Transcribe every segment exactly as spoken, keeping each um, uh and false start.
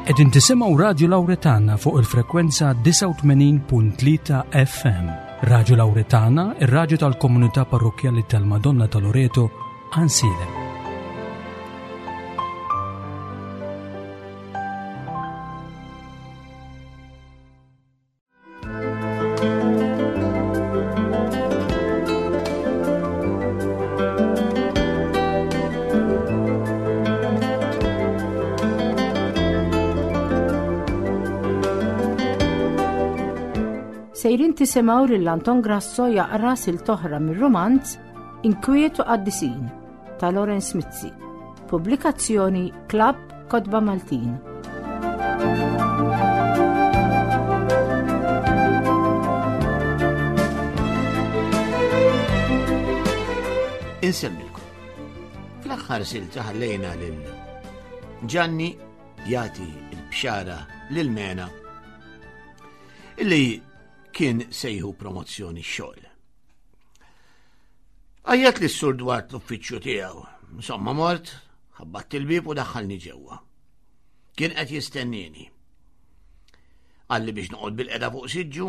Qegħdin tisimgħu Radio Lauretana fuq il-frekwenza disgħa u tmenin punt tlieta F M. Radio Lauretana, ir-radju tal-komunità parrokkjali tal-Madonna ta' Loreto, Għajnsielem. Sejrin tisimgħu lil Anton Grasso jaqra silta oħra mir-rumanz Inkwiet u Qaddisin ta' Lawrence Mizzi. Pubblikazzjoni Club Kotba Maltin. Insemmilkom. Fl-aħħar silta ħallejna lil Ġanni jagħti l-bxara lil Mena illi kien sejħu promozzjoni xogħol. Għajjat li s-sur dwar l-uffiċċju tiegħu. Insomma mort, ħabbatt il-bieb u daħħalni ġewwa. Kien qed jistennini. Qalli biex noqgħod bil-qeda fuq siġġu,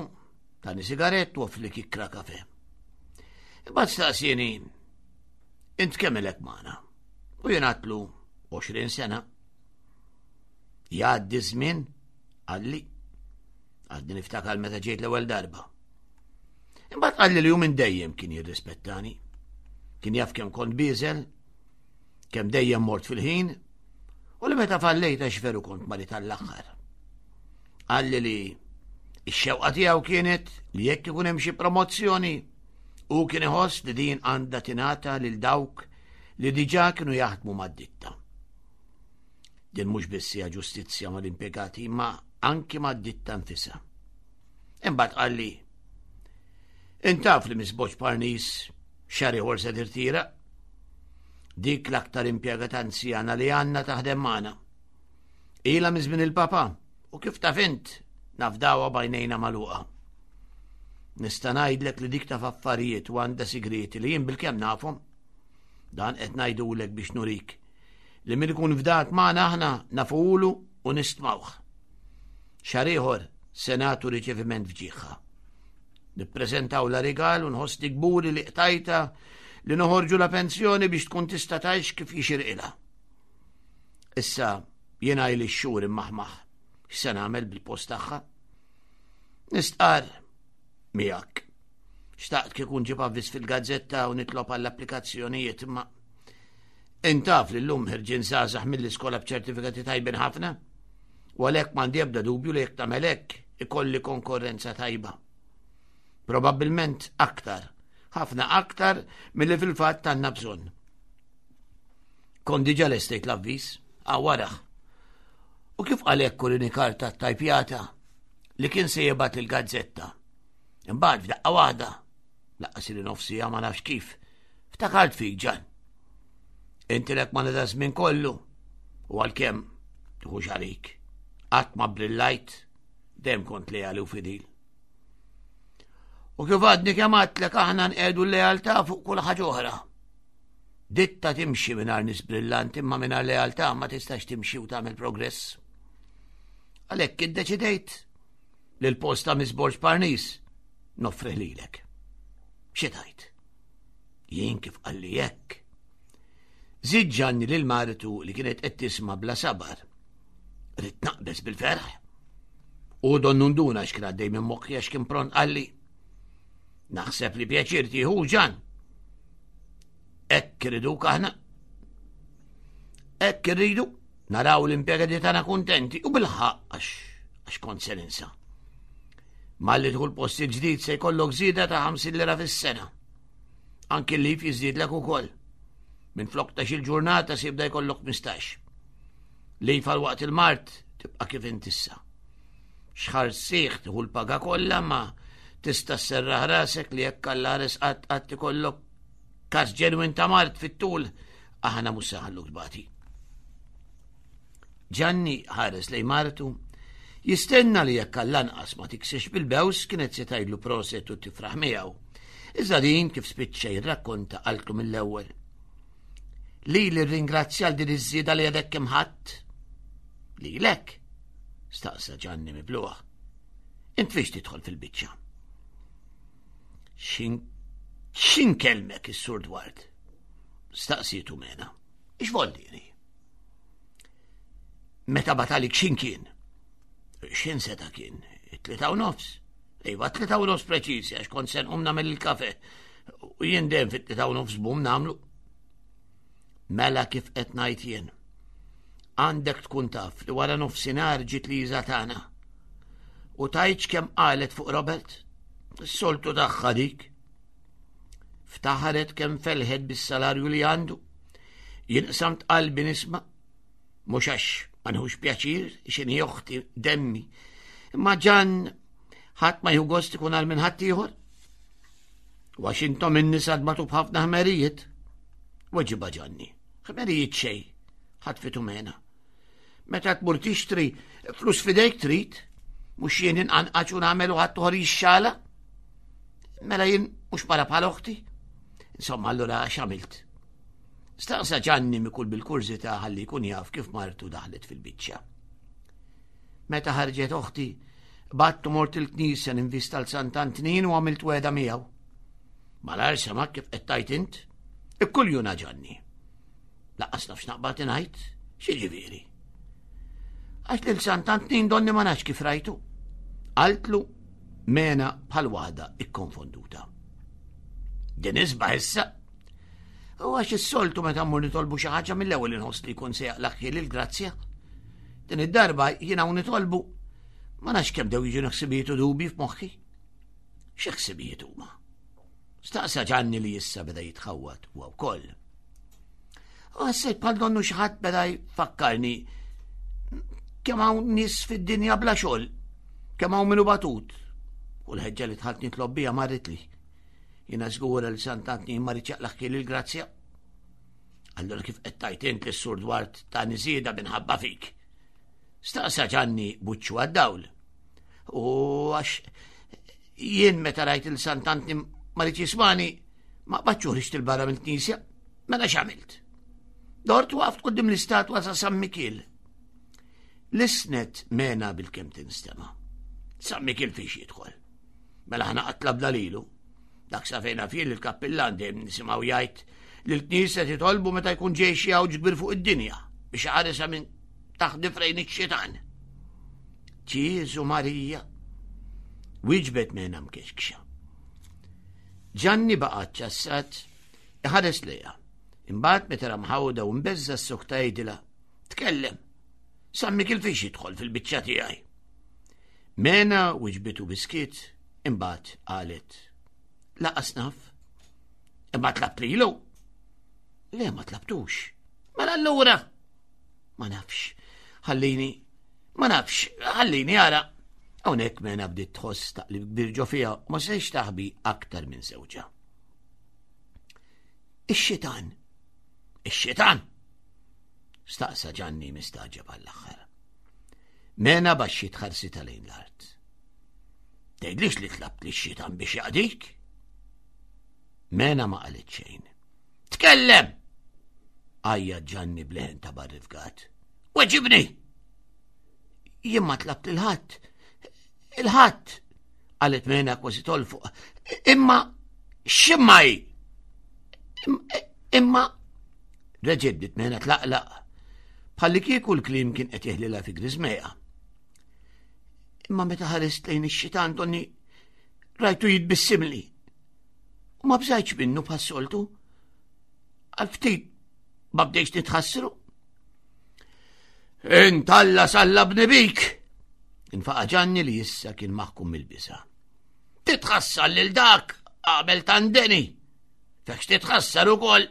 tani sigarett u offli kikra kafe. Imbagħad staqsieni, int kemm ilek magħna? U jien għedtlu għoxrin sena. Jgħaddi żmien, qalli. Għadni niftakar meta ġejt l-ewwel darba. Imbagħad qalli li hu minn dejjem kien jirrispettani. Kien jaf kemm kont bieżel, kemm dejjem mort fil-ħin, u li meta fallejt għax veru kont marid tal-aħħar. Qalli li x-xewqa tiegħu kienet li jekk ikun hemm xi promozzjoni, hu kien iħoss li din għandha tingħata lil dawk li diġà kienu jaħdmu mad-ditta. Din mhux biss hija ġustizzja mal-impjegati, imma anki mad-ditta nfisha. Imbagħad qalli, intaf li Miss Boċ Parnis xahar ieħor se tirtira? Dik l-aktar impjegata anzjana li għandna taħdem magħna. Ilha minn żmien il-papa u kif taf int nafdawha bajnejna magħluqa. Nista' ngħidlek li dik taf affarijiet u għandha sigrieti li jien bilkemm nafhom. Dan qed ngħidulek biex nurik li min ikun fdat magħna aħna nafulu u nistmawh. Xahar ieħor se nagħtu riċeviment f'ġieħha. Nippreżentaw la rigal u nħossni kburi li qtajta li noħorġu la pensjoni biex tkun tista' tgħix kif jixirqilha. Issa jiena ili x-xhur immaħmaħ x'se nagħmel bil-post tagħha. Nistqar miegħek. Xtaqt kieku nġib avviż fil-gazzetta u nitlob għall-applikazzjonijiet, imma intaf li llum ħirġin żgħażagħ mill-iskola b'ċertifikati tajbin ħafna, u għalhekk m'għandi ebda dubju li jekk tagħmel hekk ikolli konkurrenza tajba. Probabbilment aktar, ħafna aktar milli fil-fatt għandna bżonn. Kont diġà lestejt l-avviż, għawaraħ. U kif għalhekk kurini karta tajpjata li kien se jibgħat il-gazzetta. Imbagħad f'daqqa waħda, laqqas li nofsija ma nafx kif, ftakart fik Ġan. Inti lek ma nida żmien kollu, u għalkemm tieħux għalik. Qatt ma brillajt, dejjem kont leali u fidil. U kif għadni kemm għadtlek aħna nqegħdu l-lealtà fuq kull ħaġa oħra. Ditta timxi mingħajr nies brillanti, imma mingħajr lealtà ma tistax timxi u tagħmel progress. Għalhekk iddeċidejt li l-post ta' Miss Borg Parnis noffrih lilek. Xi tgħid? Jien kif qalli hekk. Żid Ġanni lil martu li kienet qed tisma' bla sabar. Rid naqbeż bil-ferħ. U donnu nduna x'kien għaddej minn moħħi għax kien pront qalli. Naħseb li pjaċir tieħu Ġan. Hekk irriduk aħna. Hekk irridu naraw l-impjegati tagħna kuntenti u bil-ħaqq għax, għax kont se ninsa. Malli tieħu l-post il-ġdid se jkollok żieda ta' ħamsin lira fis-sena. Anki l-lif jiżdiedlek ukoll. Minn flok ta' xil ġurnata se jibda jkollok mistax. Lif għal waqt il-mart tibqa' kif intissa. Xħar sieħ tieħu l-paga kollha ma tista' sserraħ rasek li jekk Alla ħares qatt qatt ikollok każ ġenwin ta' mart fit-tul, aħna mhux se nħalluk tbati. Ġanni ħares lejn martu, jistenna li jekk għall-anqas ma tiksiex bil-bews kienet se tgħidlu proset u tifraħ miegħu. Iżda din kif spiċċa jirrakkonta qaltlu mill-ewwel. Li li ringrazzja għal din iż-żieda li għadek kemm ħadd. Lilek, Staqsa Ġanni mibluħ. Int fiex tidħol fil-biċċa? X'in kelmek is-Sur Dward? Staqsietu Mena. Ix voldiri? Meta batalik x'in kien? X'in seta kien? Tlieta u nofs. Iva, tlieta u nofs preċiżi, għax kont se nqum nagħmel il-kafe. U jien dejjem fit-tlieta u nofs bum nagħmlu. Mela kif qed ngħid jien. Għandek tkun taf li wara nofsinhar ġiet Liża tagħna. U tajċ kemm qalet fuq Robert? Is-soltu tagħha dik. Ftaħaret kemm felħet bis-salarju li għandu. Jien qsamt qalbi nisma'. Mhux għax ma nħux pjaċir x'inhi oħti demmi. Imma ġan ħadd ma jieħu gost ikun għal minn ħadd ieħor. U għax intom in-nisa tbatu b'ħafna ħmerijiet. Weġiba Ġanni. Ħmerijiet xejn, ħadd fitu Mena. Meta tmur tixtri flus fidejk trid, mhux jien inqanqaċ u nagħmel u ħadd toħor jixxala. Mela jien mhux mara bħal oħti. Insomma, allura x'għamilt? Staqsa Ġanni mikul bil-kurżità ħalli jkun jaf kif martu daħlet fil-biċċa. Meta ħarġet oħti, battu mort il-knisja ninvista l Sant'Antnin u għamilt weda miegħu. Malar sema kif qed tajt int, ikkuljuna Ġanni. Laqqas nafx naqbad ingħid, xi ġifieri. Għax lil Sant'Antnin donni ma nafx kif rajtu. Qaltlu Mena bħal waħda ikkonfonduta. Din isbaħ issa. U għax is-soltu meta mmur nitolbu xi ħaġa mill-ewwel inħoss li jkun se jaqlaq il-grazzja. Din id-darba jiena u nitolbu ma nafx kemm dew jiġu ħsibijiet u dubi f'moħħi. Xi ħsibijiet huma? Staqsa Ġanni li issa beda jitħawwad huwa wkoll. U ħassejt bħal donnu xi ħadd beda jfakkarni kemm hawn nies fid-dinja bla xogħol, kemm hawn minnu batut. U l-ħeġġa li dħalt nitlob biha marritli. Jiena żgura li Sant'Antnin ma riedx jaqlaq il-grazzja. Allura kif qed tajt int lis-Sur Dward ta' niżieda minħabba fik? Staqsa Ġanni buċċu għad-dawl. U għax jien meta rajt il Sant'Antnin ma riedx jismani, ma qbadx ħriġt il-barra mill-knisja, mela x'għamilt? Dort waqft quddiem l-istatwa ta' San Mikiel. L-isnet Mena bil-kem tinstema. San Mikiel fiex jidħol. Mela ħana qatlabna lilu. Dak sa fejna fil il-kappillan dejjem nisimgħu jgħid li l-knisja titolbu meta jkun ġej xi għawġ kbir fuq id-dinja biex ħaresha minn taħt frejn ix-xitan. Ġieżu Marija. Wieġbet Mena mkexkxa. Ġanni baqa' ċassat iħares lejha. Imbagħad meta ra mħawda u mbeżza s-sokta jgħidilha, tkellem. San Mikiel fiex jidħol fil-biċċa tiegħi. Mena wiġbitu biskiet, imbagħad qalet. Laqas naf. Imma tlabt lilu. Le ma tlabtux. Mela allura. Ma nafx. Ħallini. Ma nafx. Ħallini ara. Hawnhekk Mena bdiet tħoss taqlib kbir ġo fiha u ma sejx taħbi aktar minn żewġha. Ix-xitan. Ix-xitan. Staqsa Ġanni mistaġeb għall-aħħar. Mena baxxiet ħarsitha lejn l-art. Tgħidlix li tlabt li x-xitan biex jaqdik? Mena ma qalet xejn. Tkellem! Għajja Ġanni bleħen ta' barrifgat. Weġibni! Jien ma tlabt il-ħadd. Il-ħadd! Qalet Mena kważi tolfuq. Imma x'imma hi? Imma reġgħet bdiet Mena tlaqlaq. Bħalli kieku l-kliem kien qed jeħlilha fi griżmejha. Imma meta ħarist lejn ix-xitan donni rajtu jitbissimli. U ma bżajtx minnu bħas-soltu. Għal ftit ma bdejx nitħassru. Int Alla sallabni bik! Infaqa Ġanni li issa kien maħkum mill-biża'. Titħassar lil dak qabel tandeni. Fekx titħassar ukoll.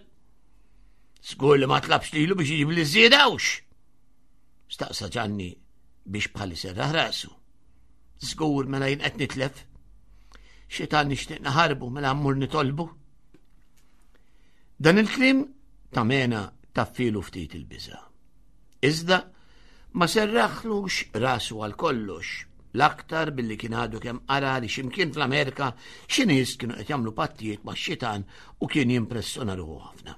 Żgur li ma tlabx lilu biex iġib li żiedawx. Staqsa Ġanni biex bħalli serraħ rasu. Żgur mela jien qed nitlef. Xitan nixtieq naħarbu mela mmur nitolbu. Dan il-kliem ta' Mena taffilu ftit il-biża'. Iżda ma serraħlux rasu għal kollox, l-aktar billi kien għadu kemm qara li x'imkien fl-Amerika xi nies kienu qed jagħmlu pattijiet max-xitan u kien jimpressjona ruħu ħafna.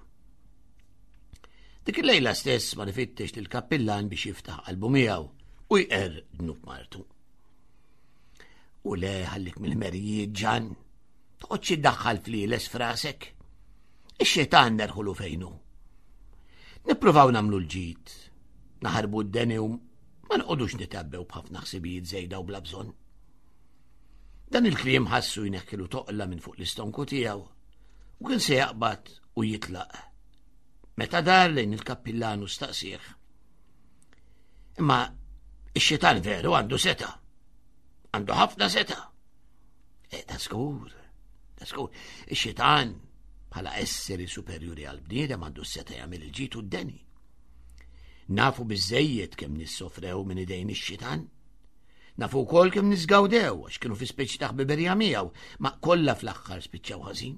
Dik il-lejla stess ma nifittex lil kappillan biex jiftaħ qalbu miegħu u u jqerr dnub martu. U le, ħallik mill-merijiet, Ġan, toqgħodx iddaħħal flieles frasek. Ix-xitan nerħulu fejnu. Nippruvaw nagħmlu l-ġid, naħarbu d-deni u ma nqogħdux nitabbew b'ħafna ħsibijiet żejda u bla bżonn. Dan il-kliem ħassu jneħħilu toqla minn fuq l-istonku tiegħu u kien se jaqbad u jitlaq. Meta dar lejn il-kappillanu staqsih. Imma ix-xitan veru għandu seta. Għandu ħafna seta. E, da skur, da skur. Ix-xitan bħala esseri superjuri għal bniedem għandu seta jagħmel il-ġid u d-deni. Nafu biżejjed kemm nissofrew minn idejn ix-xitan. Nafu wkoll kemm nisgawdew għax kienu fi speċi ta' ħbiberija miegħu, ma kollha fl-aħħar spiċċaw ħażin.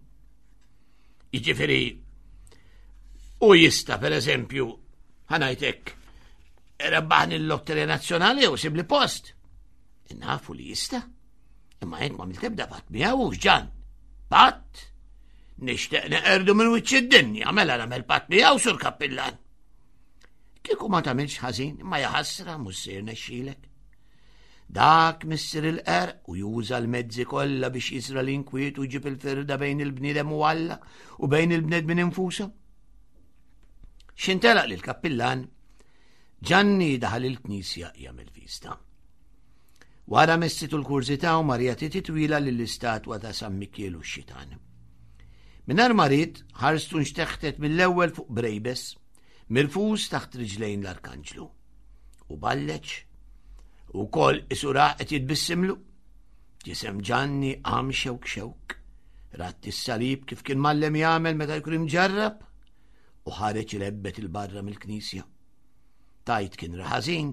Jiġifieri u jista' pereżempju ħanajtek rebbaħni l-lotterija nazzjonali u sibli post. Nafu li jista'. Imma jekk ma tebda patt miegħu x'ġan. Patt? Nixtieq neqerdu minn wiċċ id-dinja, mela nagħmel patt miegħu sur kappillan. Kieku ma tagħmilx ħażin, ma jaħasra mhux se jirnexxilek. Dak missier il-qerq u juża l-mezzi kollha biex jiżra l-inkwiet u jġib il-firda bejn il-bniedem u Alla u bejn il-bnedmin infushom. X'intelaq lil kappillan, Ġanni daħal il-knisja jagħmel vista. Wara messitu l-kurżità u Marija titwila lill-istatwa ta' San Mikiel u x-xitan. Mingħajr ma ried ħarstu nxteħtet mill-ewwel fuq brejbes, mirfus taħt riġlejn l-arkanġlu. U balleċ, u kol isura qed jitbissimlu. Ġisem Ġanni qam xewk xewk, ratt is-salib kif kien mallem jagħmel meta jkun imġarrab, u ħareġ ilebbet il-barra mill-knisja. Tajt kien raħażin,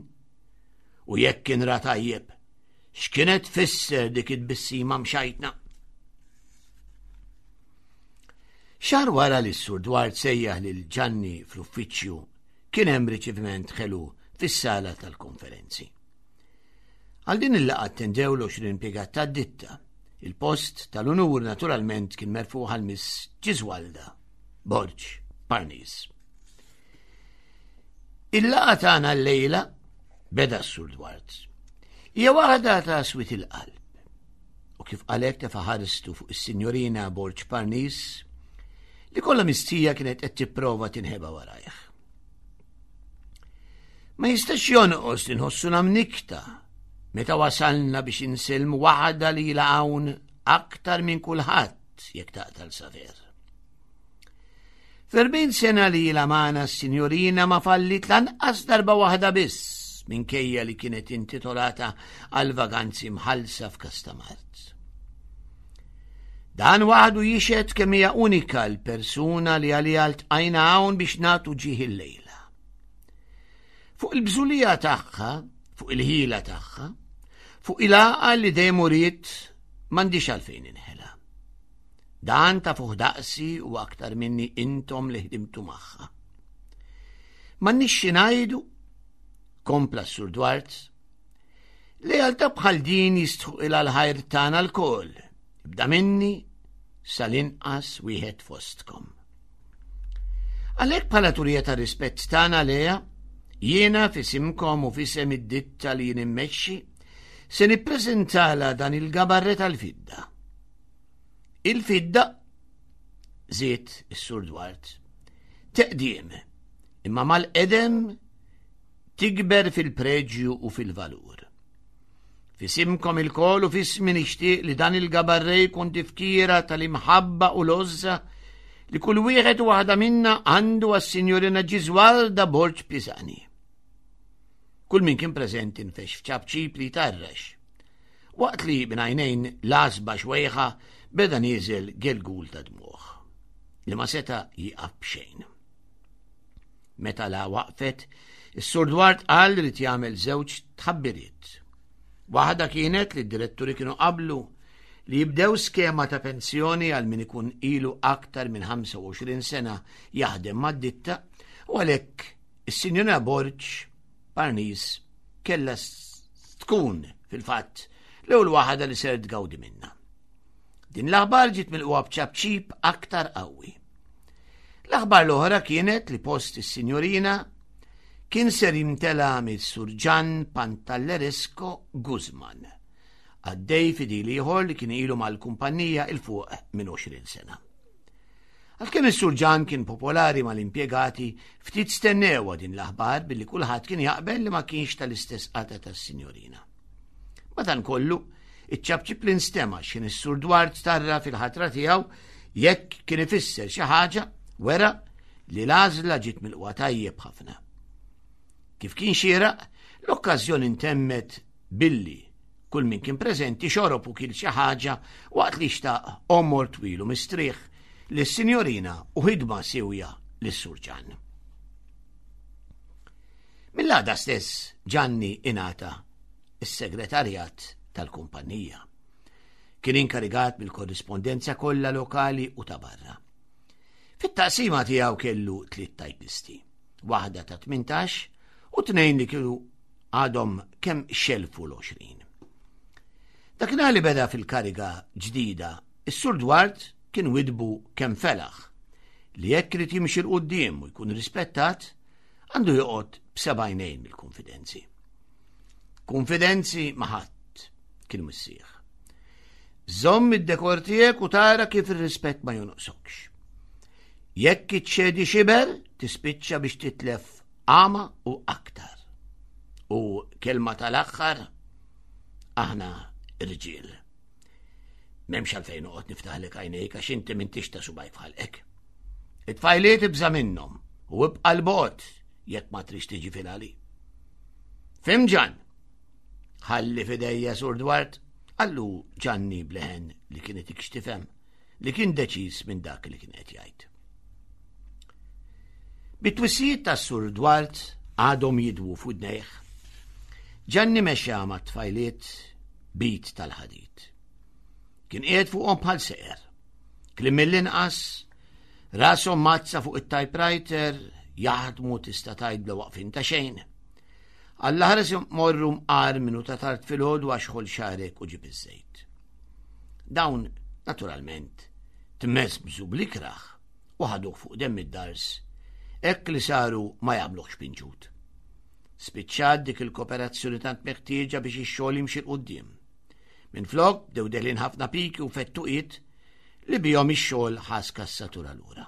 u jekk kien ra tajjeb, x'kienet tfisser dik it-tbissima mxajtna? Xahar wara li s-Sur Dwart sejjaħ lil Ġanni fl-uffiċċju, kien hemm riċeviment ħelu fis-sala tal-konferenzi. Għal din il-laqgħa attendew l-għoxrin impjegat tad-ditta. Il-post tal-unur naturalment kien merfuħ għal Miss Ġiżwalda Borg Parnis. Il-laqgħa tagħna llejla beda s-Sur Dwart. Hija waħda ta' swit il-qalb. U kif qalek tefa' ħaristu fuq is-Sinjorina Borg Parnis li kollha mistija kienet qed tipprova tinħeba warajh. Ma jistax jonqos li nħossuna mnikta meta wasalna biex insilmu waħda li ilha hawn aktar minn kulħadd jekk taqtal saver. F'erbgħin sena li ilha magħna s-sinjorina ma fallit lanqas darba waħda biss minkejja li kienet intitolata għal vaganzi mħallsa f'Kastamart. Dan waħdu jixhed kemm hija unika l-persuna li għaliha ltqajna hawn biex nagħtu ġieħ il-lejla. Fuq il-bżulija tagħha, fuq il-ħila tagħha, fuq il-għaqal li dejjem uriet m'għandix għalfejn inħela. Dan ta' fuq daqsi u aktar minni intom li ħdimtu magħha. M'għandniex xi ngħidu, kompla s-Sur Dwart, li għalta bħal din jistħuq il l-ħajr tagħna lkoll, ibda minni sal-inqas wieħed fostkom. Għalhekk bħala turija ta' rispett tagħna lejha, jiena f'isimkom u f'isem id-ditta li jien immexxi, se nippreżentala dan il-gabarre tal-fidda. Il-fidda, żied is-Sur Dwart, teqdiem, imma mal-qedem tikber fil-preġju u fil-valur. F'isimkom il-kol u f'ismi nixtieq li dan il-gabarre jkun tifkira tal-imħabba u l-għożża li kull wieħed u waħda minna għandu għas-Sinjorina Ġiżwalda Borg Pisani. Kull min kien preżenti nfex f'ċapċip li tarrax. Waqt li minn għajnejn l-għasba xwejħa beda nieżel gelgul ta' dmuħ li ma seta' jieqaf b'xejn. Meta la waqfet, is-Sur Dwart qal li jagħmel żewġ tħabbiriet. Waħda kienet li d-diretturi kienu qablu li jibdew skema ta' pensjoni għal min ikun ilu aktar minn ħamsa u għoxrin sena jaħdem mad-ditta u għalhekk is-Sinjorina Borg Parnis kellha tkun fil-fatt l-ewwel waħda li ser tgawdi minna. Din l-aħbar ġiet milquha b'ċapċip aktar qawwi. L-aħbar l-oħra kienet li post is-Sinjorina kien ser jimtela mis-Sur Ġan Pantalleresco Guzman, għaddej fidil ieħor li kien ilu mal-kumpanija 'il fuq minn għoxrin sena. Għalkemm is-Sur Ġan kien popolari mal-impjegati, ftit stennewha din l-aħbar billi kulħadd kien jaqbel li ma kienx tal-istess qata tas-sinjorina. Madankollu, iċ-ċapċip li nstema' x'ħin is-Sur Dwart tarra fil-ħatra tiegħu jekk kien ifisser xi ħaġa wera li l-għażla ġiet milqwa tajjeb ħafna. Kif kien xieraq, l-okkażjoni ntemmet billi kull min kien preżenti xorob u kien xi ħaġa waqt li xtaq għomor twil u mistrieħ lis-sinjorina u ħidma siwja lis-Sur Ġan. Mill-għada stess Ġanni ingħata is-segretarjat tal-kumpanija. Kien inkarigat mill-korrispondenza kollha lokali u ta' barra. Fit-taqsima tiegħu kellu tliet tajpisti, waħda ta' tmintax u tnejn li kienu għadhom kemm xelfu l-għoxrin. Dakinhar li beda fil-kariga ġdida, is-Sur Dwart kien widbu kemm felaħ li jekk irid jimxi 'l quddiem u jkun rispettat, għandu joqgħod b'seba' għajnejn mill-konfidenzi. Konfidenzi ma' ħadd kien missieħ. Żomm id-dekor tiegħek u tara kif ir-rispett ma jonqsokx. Jekk iċċedi xiber, tispiċċa biex titlef għama u aktar. U kelma tal-aħħar, aħna irġiel. M'hemmx għalfejn noqgħod niftaħlek għajnejk għax inti m'intix ta' subajk f'ħalqek. It-tfajliet ibża' minnhom u ibqa' l-bogħod jekk ma trix tiġi fil-għali. Fim Ġan? Ħalli fidejja Sur Dwart, qallu Ġanni bleħen li kienet ikxtifem li kien deċiż minn dak li kien qed jgħid. Bit-twissijiet tas Sur Dwart għadhom jidwu f'udnejh. Ġanni mexa ma' tfajliet bit tal-ħadid. Kien qiegħed fuqhom bħal seqer. Kliem mill-inqas, rashom mazza fuq it-typewriter, jaħdmu tista' tgħid bla waqfin ta' xejn. Alla ħares morru mqar minnu ta' tard filgħodu għax ħol xarek u ġib iż-żejt. Dawn, naturalment, tmesbżu bl-ikraħ u ħaduh fuq demm id-dars, hekk li saru ma jagħmluhx pinġut. Spiċċat dik il-kooperazzjoni tant meħtieġa biex ix-xogħol jimxi 'l quddiem. Minflok bdew deħlin ħafna piki u fettuqiet li bihom ix-xogħol ħas kassatura lura.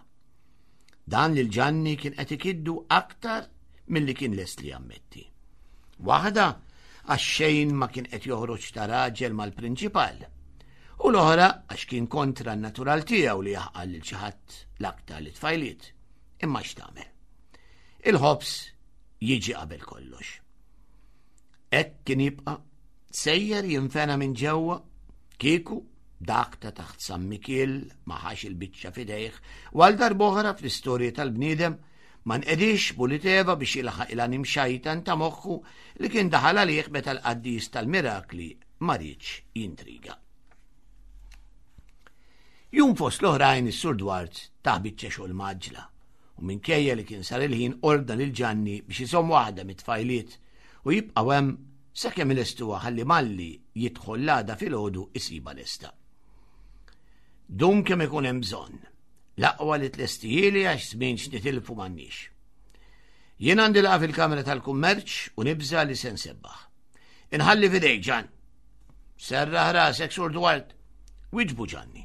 Dan lil Ġanni kien qed ikiddu aktar milli kien lest li jammetti. Waħda għax xejn ma kien qed joħroġ ta' raġel mal-prinċipal u l-oħra għax kien kontra n-natural tiegħu li jaħqal lil xi ħadd l-aktar li tfajliet. Imma x'tagħmel? Il-ħobż jiġi qabel kollox. Hekk kien jibqa' sejjer jinfena minn ġewwa kieku dak ta' taħt San Mikiel ma ħax il-biċċa f'idejh u għal darb'oħra fl-istorja tal-bniedem ma nqedix Buliteva biex jilħaq il-għanim xajtan ta' moħħu li kien daħal għalih meta l-qaddis tal-mirakli ma riedx jintriga. Jum fost l-oħrajn is-Sur Dwart ta' biċċa xogħol maġla u minkejja li kien sar il-ħin ordna lil Ġanni biex iżomm waħda mit-tfajliet u jibqgħu hemm sakemm ilestuha ħalli malli jidħol l-għada filgħodu isiba lesta. Dum kemm ikun hemm bżonn. L-aqwa li tlestijieli għax żmien x'nitilfu m'għandniex. Jien għandi laqgħa fil-Kamra tal-Kummerċ u nibża li se nsebbaħ. Inħalli f'idejk Ġan. Serraħ rasek Sur Dwart, wiġbu Ġanni.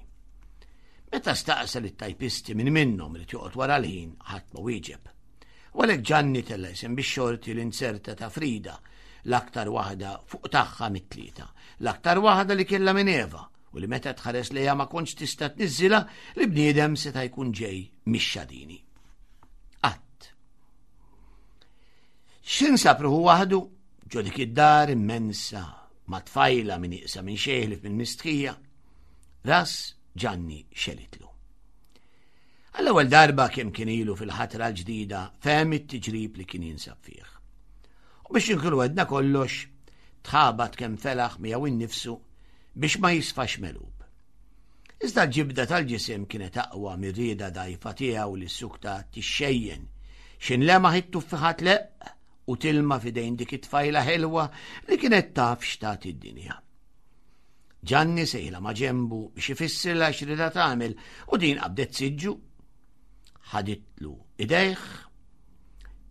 Meta staqsa lit tajpisti minn minnhom li joqgħod wara l-ħin ħadd ma wieġeb. U għalhekk Ġanni tella' isem bix-xorti l-inserta ta' Frida, l-aktar waħda fuq tagħha mit-tlieta, l-aktar waħda li kellha minn Eva u li meta tħares lejha ma kontx tista' tniżżilha li bniedem seta' jkun ġej mix-xadini. Qatt. X'insab ruħu waħdu ġo dik id-dar immensa ma' tfajla minn iqsa minn xejn minn mistħija. Ras Ġanni xelitlu. Għall-ewwel darba kemm kien ilu fil-ħatra l-ġdida fehem it-tiġrib li kien jinsab fih. U biex inkunu għedna kollox, tħabat kemm felaħ miegħu innifsu biex ma jisfax melub. Iżda l-ġibda tal-ġisem kienet aqwa mir-rieda dgħajfa tiegħu li s-sukta tixxejjen. X'inlemaħ it-tuffiħat leqq u tilma f'idejn dik it-tfajla ħelwa li kienet taf x'tagħti d-dinja. Ġanni sejla ma' ġembu biex ifissirla x'rida tagħmel u din qabdet siġġu, ħaditlu idejh,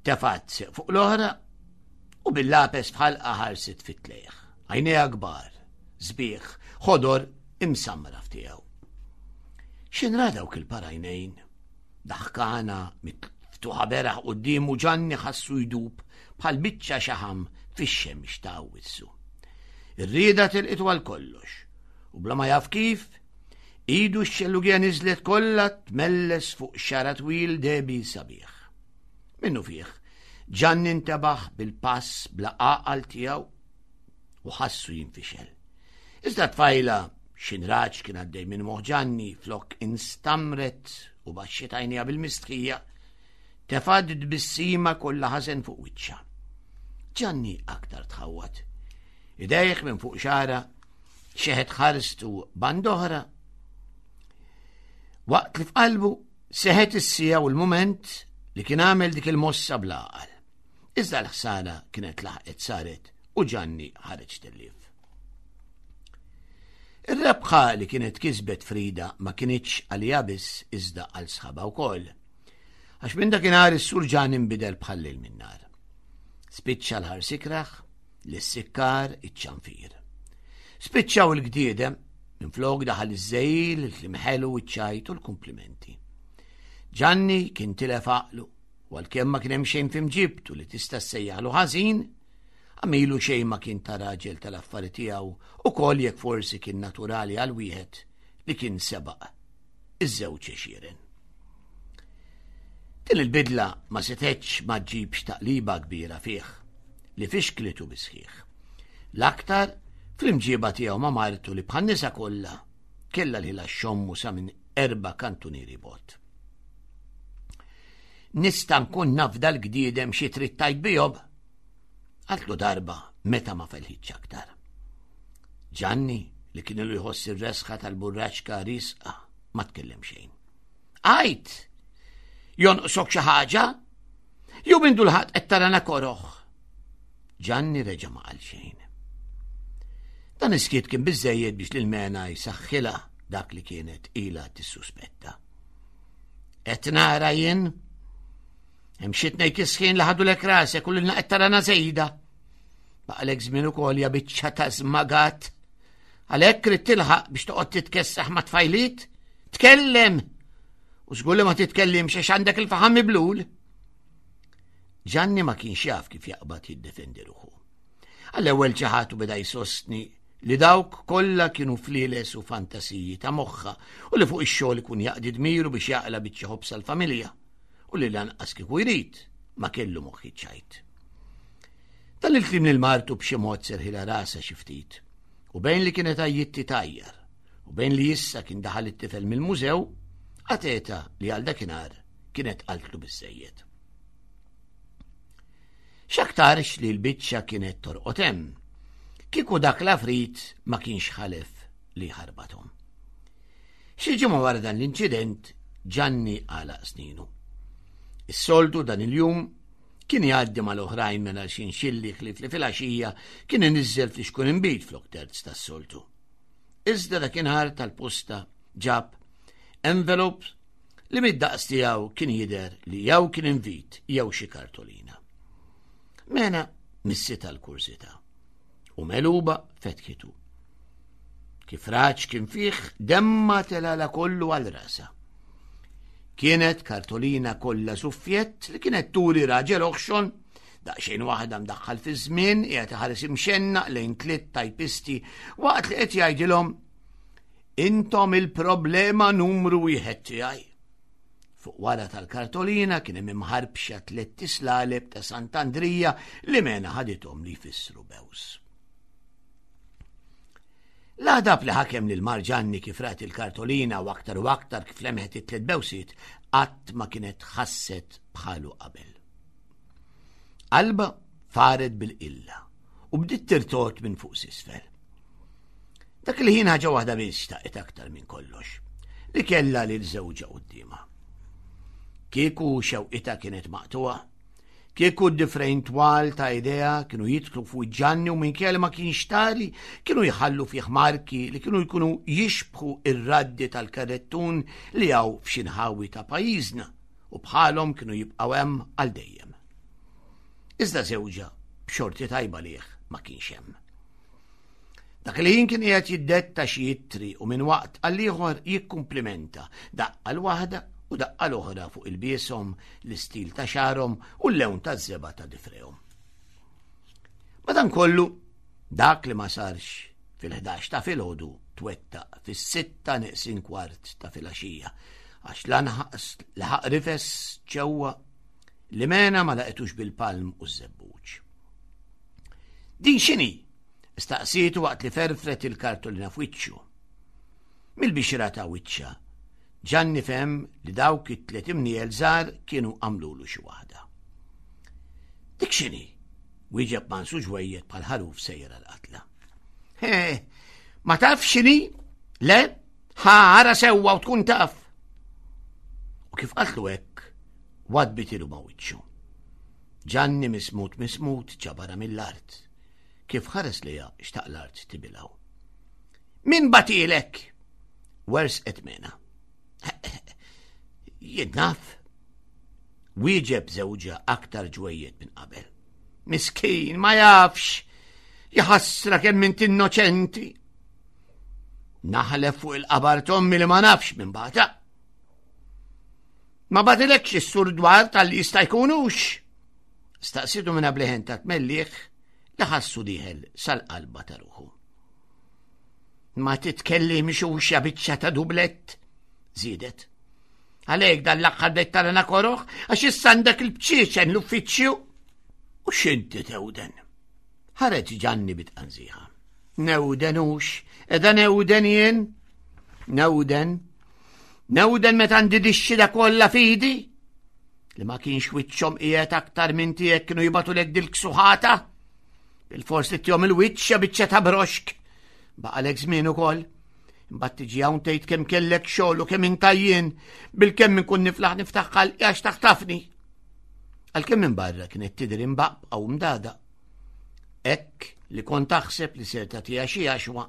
Tefgħet sieq fuq l-oħra u bil-lapes f'ħalqha ħarset fit-tlejħ. Għajnejha kbar, sbieħ, ħodor imsamra f'tiegħu. X'inra dawk il-parajnejn? Daħkana miftuħa beraħ quddiemu Ġanni ħassu jdub bħal biċċa xaħam fix-xemx ta' wissu. Ir-rieda tilqitu għal kollox u bla ma jaf kif, idu x-xellugija niżlet kollha tmelles fuq xara twil debi sabiħ. Minnu fih, Ġanni intebaħ bil-pass bla għaqal tiegħu u ħassu jinfixel. Iżda tfajla xinraġ kien għaddej minn moħħ Ġanni flok instamret u baxxiet għajnejha bil-mistħija, tefgħet tbissima kollha ħażen fuq wiċċha. Ġanni aktar tħawwad. Idejh minn fuq xara, xeħet ħarstu band'oħra. Waqt li f'qalbu seħet is-sija u l-mument li kien għamel dik il-mossa bl-għaqal. Iżda l-ħsara kienet laħqet saret u Ġanni ħareġ tellif. Ir-rebħa li kienet kisbet Frida ma kinitx għalija biss iżda għal sħaba wkoll. Għax minn dakinhar is-sur Ġanni nbidel bħal lejl min-nar. Spiċċa l-ħars ikraħ, l-sikkar, iċ-ċanfir. Spiċċaw il-gdiedem, minflok daħal iż-żejl, il-kliem ħelu, iċ-ċajt u l-kumplimenti. Ġanni kien tilef għaqlu, u għalkemm ma kien hemm xejn f'imġibtu li tista' ssejjaħlu ħażin, għamilu xejn ma kien ta' raġel tal-affari tiegħu ukoll jekk forsi kien naturali għal wieħed li kien sebaq iż-żewġ għexieren. Din il-bidla ma setgħetx ma ġġibx taqliba kbira fih li fixklitu bisħiħ. L-aktar fl-imġiba tiegħu ma' martu li bħan-nisa kollha kellha lilha xommu sa minn erba' kantunieri bot. Nista' nkun naf dal-gdiedem xi trid tgħid bihom? Qaltlu darba meta ma felħitx aktar. Ġanni li kien ilu jħoss ir-resħa tal-burraċka risqa ma tkellem xejn. Għajt! Jonqsok xi ħaġa? Jew minn dulħat qed tarana koroħ? Ġanni reġa' ma qal xejn. Dan is-skiet kien biżejjed biex lil Mena jsaħħilha dak li kienet ilha tissuspetta. Qed nara jien? Hemm xi tnejn kisħin li ħadulek rasek u lilna qed tarana żejda. Baqalek żmien ukoll ja biċċa ta' żmagat. Għalhekk trid tilħaq biex toqgħod titkessaħ ma' tfajliet? Tkellem! U żgur li ma titkellimx għax għandek il-faħam miblul. Ġanni ma kienx jaf kif jaqbad jiddefendi ruħu. Għall-ewwel ċaħat u beda jsostni li dawk kollha kienu flieles u fantasiji ta' moħħa u li fuq ix-xogħol ikun jaqdi dmiru biex jaqla biċċa ħobż għall-familja u li lanqas kieku jrid ma kellu moħħi ċajt. Dan il-kliem lil martu b'xi mod serħilha rasha xi ftit u bejn li kienet għajjitti tajjar u bejn li issa kien daħal it-tifel mill-mużew, għateta li għal dakinhar kienet qaltlu biżejjed. X'aktarx li l-biċċa kienet torqod hemm, kieku dak l-afrit ma kienx ħalef li ħarbathom. Xi ġimgħa wara dan l-inċident, Ġanni għalaq sninu. Is-soltu dan il-jum kien jgħaddi mal-oħrajn minn għal xi xilli ħlief li fil-għaxija kien iniżżel fl-xkun inbid flok terz tas-soltu. Iżda dakinhar tal-posta ġab envelope li mid-daqs tiegħu kien jidher li jew kien invit jew xi kartolina. Mena missitha l-kursità u meluba fetħitu. Kif raġ kien fih demma telala kollu għal rasa. Kienet kartolina kollha suffjett li kienet turi raġel oħxon daqsxejn waħda mdaħħal fi żmien qiegħed iħares imxennaq lejn tliet tajpisti waqt li qed jgħidilhom intom il-problema numru wieħed tiegħi. Fuq wara tal-kartolina kien hemm imħarbxa tliet tislaleb ta' Sant'Andrija li mena ħadithom li jfissru bews. L-għadab li ħakem lil Marġanni kif rat il-kartolina u aktar u aktar kif lemħet it-tliet bewsiet qatt ma kienet ħasset bħalu qabel. Qalba faret bil-qilla u bdiet tirtot minn fuq s'isfel. Dak li ħin ħaġa waħda biss xtaqet aktar minn kollox, li kellha lil żewġha quddiemha. Kieku xewqitha kienet maqtuha, kieku d-difrejn twal ta' idea kienu jidħlu fuq Ġanni u minkejja li ma kienx tali kienu jħallu fih marki li kienu jkunu jixbħu ir-raddi tal-karrettun li hawn f'xi nħawi ta' pajjiżna u bħalhom kienu jibqgħu hemm għal dejjem. Iżda żewġha b'xorti tajba lih ma kienx hemm. Dak li kien qiegħed jiddetta xi ittri u minn waqt għal ieħor jikkumplimenta daqqa l-waħda u daqqa l-oħra fuq ilbieshom, l-istil ta' xagħarhom u l-lewn taż-żebgħa ta' difrejhom. Madankollu, dak li ma sarx fil-ħdax ta' filgħodu twettaq fis-sitta neqsin kwart ta' filgħaxija għax lanqas laħaq rifes ġewwa li mena ma laqetux bil-palm u z-zebbuġ. Din x'inhi? Staqsietu waqt li ferfret il-kartolina f'wiċċu. Mill-bixra ta' wiċċha, Ġanni fehem li dawk it-tliet imniel żgħar kienu għamlulu xi waħda. Dik x'inhi? Wieġeb Mansu ġwejjed bħal ħaruf sejjer għall-qatla. He, ma taf x'inhi? Le, ħa ara sewwa u tkun taf. U kif qaltlu hekk, wadbitilu ma' wiċċu. Ġanni mismut mismut ġabarha mill-art. Kif ħares lejha xtaq l-art tibilgħu. Min bagħathielek? Wersqet Mena. Jien naf. Wieġeb żewġha aktar ġwejjed minn qabel. Miskin, ma jafx. Jaħasra kemm int innoċenti. Naħlef fuq il-qabar t'ommi li ma nafx minn bagħatha. Ma bagħathilekx is-Sur Dwar tal-li jista' jkunux. Staqsitu minn bleħen ta' tmelliħ li ħassu dieħel sal-qalba ta' ruħu. Ma titkellimx hux ja biċċa ta' dublett, żiedet. Għalhekk dan l-aħħar bdejt tara koroh għax issa għandek il-bċieċen l-uffiċċju. U x'inti tewden? Ħareġ Ġanni bit-tqanżiħa. Newden hux, edha newden jien. Newden. Newden meta għandi dix-xhieda kollha f'idi. Li ma kienx wiċċhom qiegħed aktar minn tiegħek kienu jibagħtulek dil-ksuħata. Bil-fors li ttihom il-wiċċ ja biċċa ta' broxk. Baqalek żmien ukoll. Imbagħad tiġi hawn tgħid kemm kellek xogħol u kemm intajjien bil-kemm inkun niflaħ niftaħ ħalqi għax taħtafni. Għalkemm minn barra kienet tidher imbaqbqa u mdada. Hekk li kont taħseb li ser tagħtiha xi għaxwa.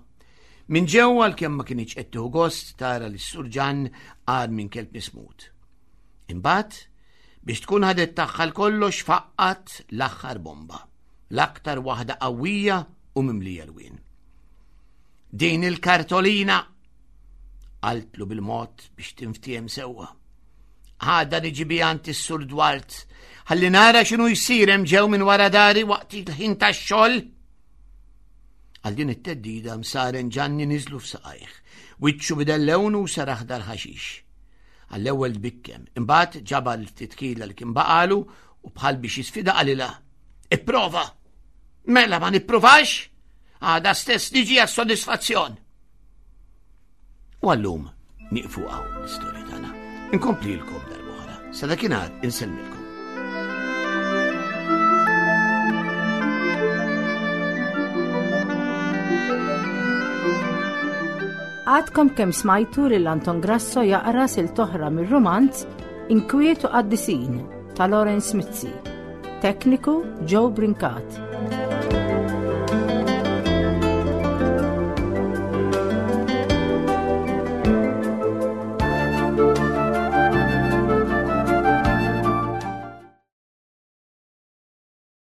Minn ġewwa għalkemm ma kinitx qed tieħu gost tara li s-Sur Ġann qar minn kelb mismut. Imbagħad biex tkun ħadet tagħha l-kollox faqqat l-aħħar bomba, l-aktar waħda qawwija u mimlija lwien. Din il-kartolina qaltlu bil-mod biex tinftiehem sewwa. Għada niġi biha għand is-Sur Dwart, ħalli nara x'inhu jsir hemm ġew minn wara dari waqt il-ħin tax-xogħol. Għal din it-theddida msaren Ġanni niżlu f'saqajh, wiċċu bidel lewnu u sar aħdar ħaxix. Għall-ewwel tbikkem, imbagħad ġabar l-ftit kila li kien baqalu u bħal biex jisfida qalilha. Ipprova! Mela ma nippruvax? Għada stess niġi għas-sodisfazzjon. U għallum nieqfu hawn l-istorja tagħna. Inkomplilkom darb'oħra. Sa dakinhar insellmilkom. Għadkom kemm smajtu lil Anton Grasso jaqra silta oħra mir-rumanz Inkwiet u Qaddisin ta' Lawrence Mizzi. Tekniku Joe Brincat.